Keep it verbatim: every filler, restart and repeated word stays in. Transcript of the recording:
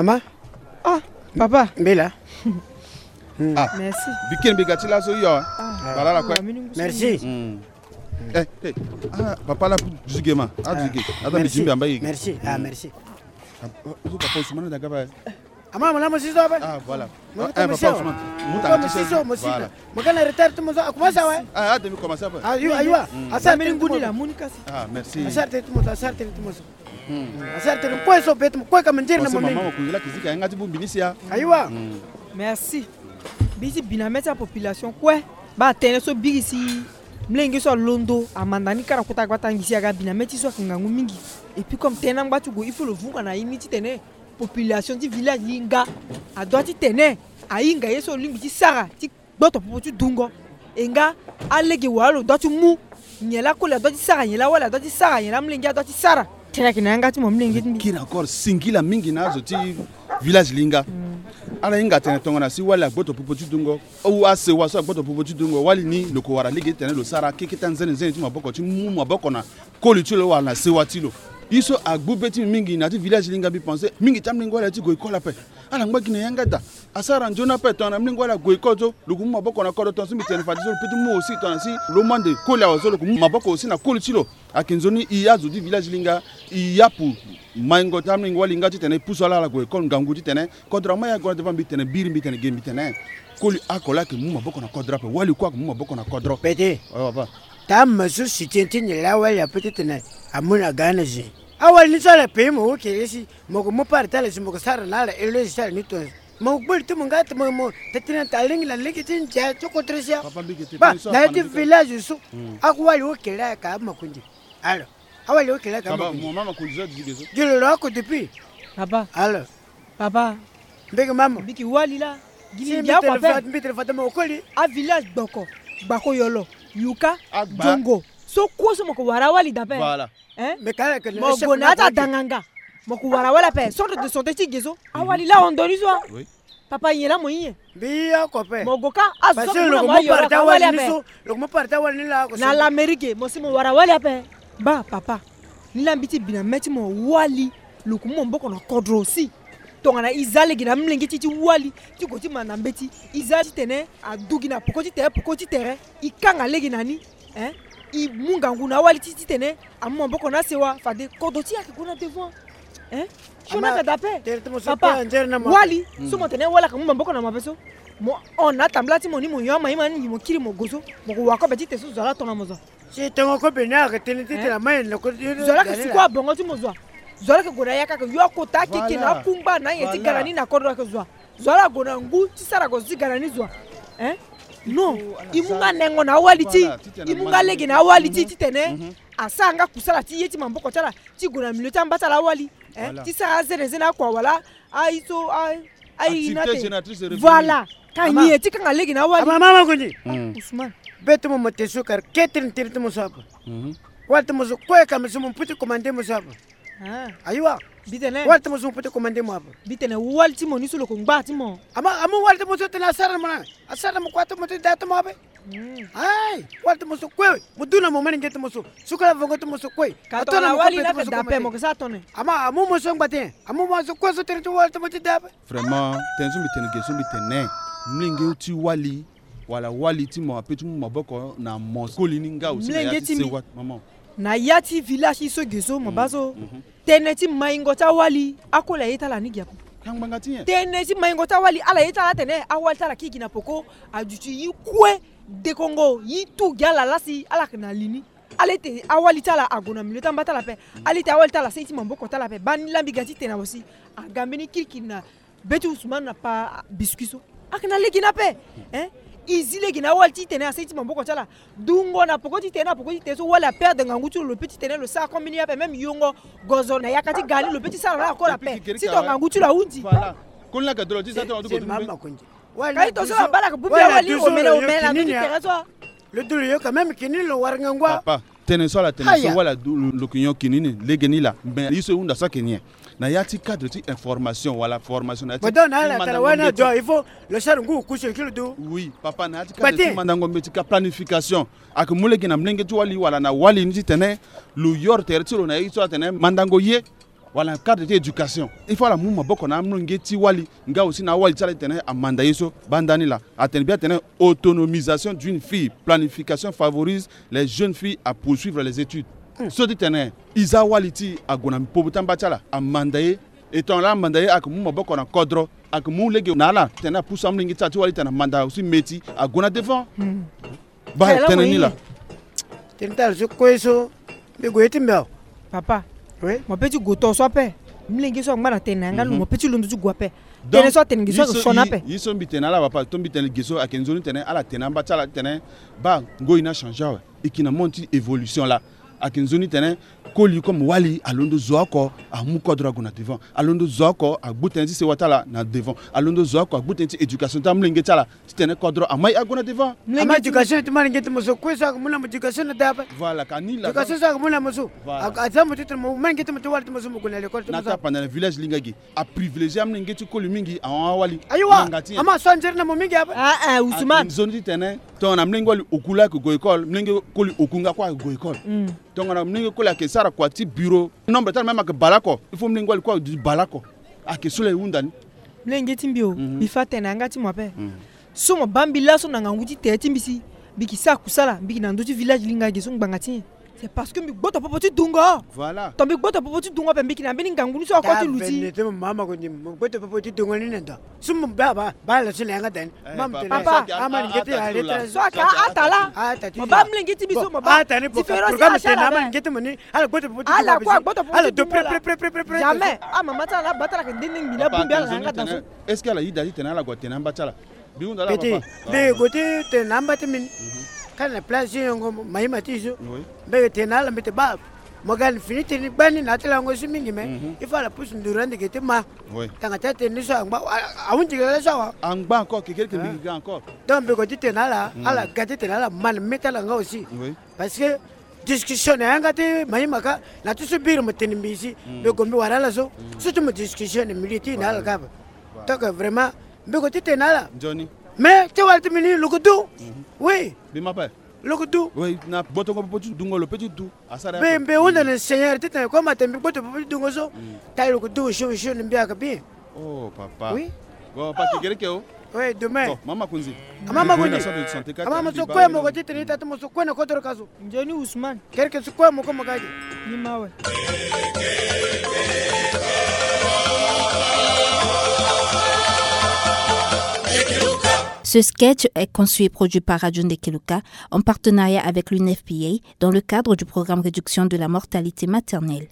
Mama. Ah, papa. Mbela. Ah, merci. Bikin bi ga ti laso yo. Ah, bara la kue. Merci. Hmm. Eh, eh. Ah, papa la zige ma. Ah, zige. Ata mi jimbi amba yigi. Merci. Ah, merci. Ah, papa Ousmane da gaba. Ama mo na mo siso apa? Ah, voilà. Mo ta mo siso. Mo ta mo siso mo sita. Mo kana retard mo so. Akuma sa wa. Ah, ah, demi commencer apa? Ah, yo, ayo. Asa te ngudi la muni kasi. Ah, merci. Asa te mo, asa te mo so. Asara tene kue so beti mo kue ka manjeri na mama. Mama kuzila kizika yanga ti bumbi ni sia. Ayiwa. Merci. Bisi bina meti a population kue. Ba tene so biri si mlenge so alondo amanda ni kara kota gbata ngisi aga bina meti so ake ngangu mingi. Et puis comme tene angba ti go il faut lo vunga na ye ni titene population ti village linga adoit titene ahinga ye so lingbi ti sara ti gboto popo ti dungo. E nga alege wala lo dua ti mu nyen laa koli adua ti sara nyen laa wala adua ti sara nyen laa mlenge adua ti sara. Tene ayeke na yanga ti mo mlenge ti mbi. Kiri encore singila mingi na azo ti village linga. Ala hinga atene tongana si wali agboto popo ti dungo ou asewa so agboto popo ti dungo wali ni lo ko wara lege titene lo sara keke ti anzene nzene ti maboko ti mu maboko na koli ti lo wala na sewa ti lo. Ye so agbu be ti mbi mingi na ya ti village linga mbi pense mingi ti amlenge wali aye ti gue école ape. Ala ngba gi na yanga daa. Asara nzoni ape tongana mlenge wali ague école so lo ku mu maboko na kodro tongana so mbi tene fade so lo peut ti mu aussi tongana si lo mu ande koli awe so lo ku mu maboko aussi na koli ti lo. Ayeke nzoni e azo ti village linga e yapu maingo ti amlenge wali nga titene e pusu ala ala gue école ngangu titene kodro ama e ague na devant mbi tene biri mbi tene ge mbi tene koli oko laa ayeke mu maboko na kodro ape wali kue ayeke mu maboko na kodro. Pete. Papa. Taa me so si tien ti nyen laa wali ape titene amu na ga na zi. Awali ni so ala pays mo wu kere si mo ko mu part ti ala si mo ko sara na ala éloge ti ala ni tongaso. Mo gboli ti mo nga ti mo mo titene ta lenge na lege ti ndia ti kodro sia. Ba na ya ti village so. Ako wali wo kele aka amakundi. Alors awali wo kele aka amakundi. Gi lo lo ako depuis. Papa. Alors. Papa. Mbege mama. Mbiki wali la. Gini ndia ako ape. Mbi tene fata mo koli. A village gboko. Gbako yolo. Yuka. Jongo. So kue so mo ko wara awali dape. Voilà. Hein? Mo go na ata danganga. Mo ko wara wala ape centre de santé ti ge so. Awali la hon doni so. Papa nyen la mo hinye? Mbi oko ape. Mo go ka azo so mo yoro ka wali ape. Lo ko mu parti awali ni la. Na l'Amérique mo si mo wara wali ape. Ba papa. Ni la mbi ti bi na me ti mo wali. Lo ko mu maboko na kodro aussi. Tongana e za lege na amolenge ti e ti wali ti go ti manda mbeti e za titene adu gi na poko ti tere poko ti tere. E kanga lege na ni. Hein? E mu ngangu na awali ti e titene amu maboko na asewa fade kodro ti e ayeke gue na devant. Hein? Sioni ayeke dape. Papa wali so mo tene wali ayeke mu maboko na mo ape so. Mo hon na atambula ti mo ni mo yo ama ye ma ni mo kiri mo go so mo ko wa kobe ti te so zo ala tongana mo zo. Si tongo kobe ni ayeke tene ti tene ama ye na kodro ti zo ala yeke suku abongo ti mo zo. Zo ala yeke gue na yaka ayeke yo akota akeke na akungba na anyen ti gara ni na kodro ayeke zo. Zo ala gue na ngu ti sara gue so ti gara ni zo. Hein? Non. E mu nga nengo na awali ti e. E mu nga lege na awali ti e titene asara nga kusala ti ye ti maboko ti ala ti gue na milieu ti amba ti ala awali. Hein? Ti sara azene zene akua wala aye so aye na te. Voilà. Ka nyen ti kanga lege na awali. Mama mama kundi. Ousmane. Be ti mo mo te so kar ketrin tiri ti mo so ape. Wali ti mo so kue ka mo so mo pu ti commande mo so ape. Ayiwa. Mbi tene wali ti mo so mo peut ti commande mo ape. Mbi tene wali ti mo ni so lo ko ngba ti mo. Ama ama wali ti mo so tene asara na mo na asara na mo kua ti mo ti da ti mo ape. Ai wali ti mo so kue. Mo du na mo mani nge ti mo so sukala vongo ti mo so kue. Ka tongana wali ni ayeke da ape mo yeke sara tongana nyen? Ama amu mo so ngba ti nyen? Amu mo so kue so tene ti wali ti mo ti da ape. Vraiment tënë so mbi tene ge so mbi tene mlenge ti wali. Wala wali ti mo ape ti mu maboko na mo koli ni nga aussi na ya ti sewa ti mama. Na ya ti village ti so ge so mo baa so. Tënë ti maingo ti awali akoli aye ti ala ni gi ape. Tënë ti maingo ti awali ala ye ti ala atene awali ti ala kiri gi na poko. Aduti yi kue dekongo yi tu gi ala lasi ala yeke na li ni. Ala ete awali ti ala ague na milieu ti amba ti ala ape. Ala ete awali ti ala asara ti maboko ti ala ape baa ni laa mbi ga ti tene na mo si aga mbeni kirikiri na be ti Ousmane na pa biscuit so. Ayeke na lege ni ape. Hein? E zi lege na awali ti tene asara ti maboko ti ala. Dungo na poko ti tene na poko ti tene so wali aperdre ngangu ti lo lo peut ti tene lo sara kombeni ape même yongo gozo na yaka ti ga ni lo peut ti sara na ala koro ape. Si to ngangu ti lo ahunzi. Koli ni ayeke dolo ti sa ti lo duko ti mbe. Kali to so abala ke bubi awali omene omene na ndo ti tere so. Lo dolo yo quand même kini lo wara ngangu. Papa tene so ala tene so wala du lo ke nyon kini ni lege ni la mais ye so e hunda so ayeke nyen? Na ya ti cadre ti information wala formation na ya ti. Mo donne na ala tala wani adio il faut lo sara ngu kusi lo kiri lo du. Oui papa na ya ti cadre ti mandango mbeti ka planification. Ayeke mu lege na molenge ti wali wala na wali ni titene lo yoro tere ti lo na ye so atene mandango ye. Wala na cadre ti éducation, il faut ala mu maboko na amolenge ti wali nga aussi na awali ti ala ti tene amanda ye so. Baa ndani laa, atene bien atene autonomisation d'une fille, planification favorise les jeunes filles à poursuivre les études. So ti tene e za awali ti e ague na popo ti amba ti ala, amanda ye. E tongana laa amanda ye, ayeke mu maboko na kodro, ayeke mu lege na ala ti tene apusu amolenge ti ala ti wali ti tene amanda aussi meti ague na devant. Baa tënë ni laa. Tënë ti ala so kue so mbi gue ye ti mbi awe. Papa, oui, mo pe ti gue to so ape. Mlenge so angba na tene na yanga lo, mo pe ti londo ti gue ape. Tënë so atene ge so ayeke sioni ape. Ye so mbi tene na ala papa, to mbi tene ge so ayeke nzoni tene ala tene na amba ti ala ti tene baa ngoi ni achangé awe. E yeke na monde ti évolution laa. Ayeke nzoni tene koli comme wali alondo zo oko amu kodro ague na devant, alondo zo oko agbu tënë ti sewa ti ala na devant, alondo zo oko agbu tënë ti éducation ti amolenge ti ala ti tene kodro amai ague na devant. Ama éducation ti molenge ti mo so kue so ayeke mu na mo éducation na da ape. Voilà, ka ni laa. Éducation so ayeke mu na mo so. Voilà. Aza mo ti tene mo molenge ti mo ti wali ti mo so mo gue na l'école ti mo so. Na tapanda na village linga ge aprivilégié amolenge ti koli mingi ahon awali. Ayiwa. Ama so anzere na mo mingi ape. Ah, ah, Ousmane. Nzoni ti tene tongana mlenge wali oku laa ayeke gue école, mlenge koli oku nga kue ayeke gue école. Tongana mlenge koli ayeke sara kua ti bureau, nombre ti ala même ayeke bale oko. Il faut mlenge wali kue aduti bale oko. Ayeke so laa e hunda ni. Mlenge ti mbi o, mbi fa tene na yanga ti mo ape. So mo baa mbi laso na ngangu ti tere ti mbi si mbi yeke sara kusala, mbi yeke na ndö ti village linga ge so ngbanga ti nyen? C'est parce que mbi gboto popo ti dungo. Voilà. Tongana mbi gboto popo ti dungo ape, mbi yeke na mbeni ngangu ni so oko ti luti. Mama ko ni mo gboto popo ti dungo ni na ndo. So mo baa baa baa laso na yanga da ni. Papa, ama lenge ti a lettre so ayeke ata laa. Mo baa mlenge ti mbi so mo baa différence ti ala. Ala gboto popo ti dungo. Ala gboto popo ti dungo. Jamais. Amama ti ala baa ti ala ayeke nde nde ngbi ni abongbi ala na yanga da so. Est-ce que ala yeda ti tene ala gue atene na amba ti ala? Mbi hunda laa papa. Mbi gue ti tene na amba ti mbi ni. Kâ na place ti yongo mahima ti so. Oui. Mbi yeke tene na ala mbi tene baa mo ga na fini tene ni gbani na ya ti lango so mingi mais il faut ala pusu nduru ande ge ti ma. Oui. Tanga ti atene ni so angba ahunzi ge laso awa. Angba encore kekereke mbi ga encore. Donc mbi gue ti tene na ala, ala ga ti tene na ala ma na mê ti ala nga aussi. Oui. Parce que discussion na yanga ti mahima ka na ti so biri mo tene mbi si mbi gue mbi wara ala so. So ti mo discussion na milieu ti na ala ka ape. Donc vraiment mbi gue ti tene na ala. Nzoni. Mais ti wala ti mbi ni lo ke du. Oui. Mbi ma ape. Lo ke du. Oui, na gbotongo popo ti dungo lo pe ti du. Asara mbi mbi hunda na Seigneur ti tene comme atene mbi gboto popo ti dungo so. Taille lo ke du osio osio na mbi ayeke bien. Oh papa. Oui. Bon papa kekereke o. Oui, demain. Bon mama Konzi. Mama Konzi. Ama mo so kue mo ko ti tene ita ti mo so kue na kodro ka so. Nzoni Ousmane. Kereke so kue mo ko mo ga ge. Ni ma awe. Ce sketch est conçu et produit par Radio Ndekeluka en partenariat avec l'U N F P A dans le cadre du programme Réduction de la mortalité maternelle.